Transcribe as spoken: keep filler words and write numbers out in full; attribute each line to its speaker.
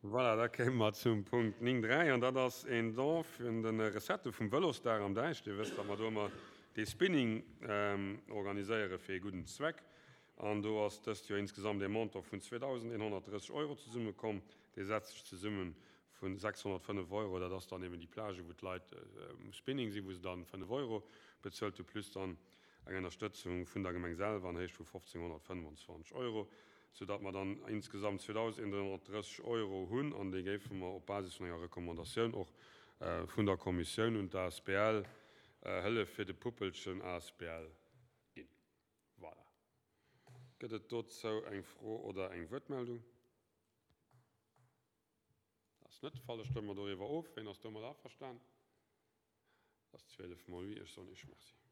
Speaker 1: Voilà, da kéime mer zum Punkt néng dräi, an dat ass een Don vun de Recettë vum Vëlosdag am Däich. Dir wësst, datt mer do ëmmer dee Spinning organiséiere fir ee gudden Zweck. An do ass dëst Joer insgesamt ee Montant vun zweedausendeenhonnertdrësseg Euro zesummekomm. Dee setzt sech zesumme vu sechshonnertfënnef Euro, dat ass dann eben déi Plage, wou d'Leit um Spinning sinn, wou se dann fënnef Euro bezuelt hu, plus dann eng Ënnerstëtzung vun der Gemeng selwer an Héicht vu fofzénghonnertfënnwandzwanzeg Euro, soudatt mer dann insgesamt zweedausendeenhonnertdrësseg Euro hunn, an déi géife mer op Basis vun enger Recommandatioun och vun der Kommissioun un d'A S B L Hëllef fir de Puppelchen A S B L ginn. Voilà. Gëtt et dozou eng Fro oder eng Wuertmeldung? Dat ass net de Fall. Da stëmme mer doriwwer of. Wien ass domat averstan? Dat ass zwielef mol oui. Ech soen Iech Merci.